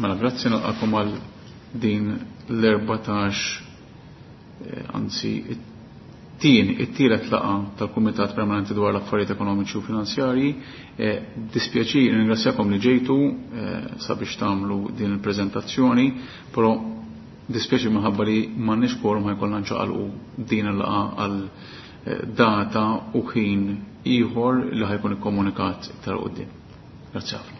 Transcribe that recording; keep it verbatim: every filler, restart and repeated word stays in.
Mela, grazzi, nilqakom għal din l-erbatax, eh, anzi, it-tieni, it-tielet laqgħa tal-Kumitat Permanenti dwar l-Affarijiet Ekonomiċi u Finanzjarji. Eh, dispjaċir, ringrazzjakom li ġejtu eh, sabiex tagħmlu din il-preżentazzjoni, però dispjaċir minħabba li m'għandniex quorum, ħa jkollna nċaqalqu din il-laqgħa għal data u ħin ieħor li ħa jkun ikkomunikat iktar quddiem. Grazzi ħafna.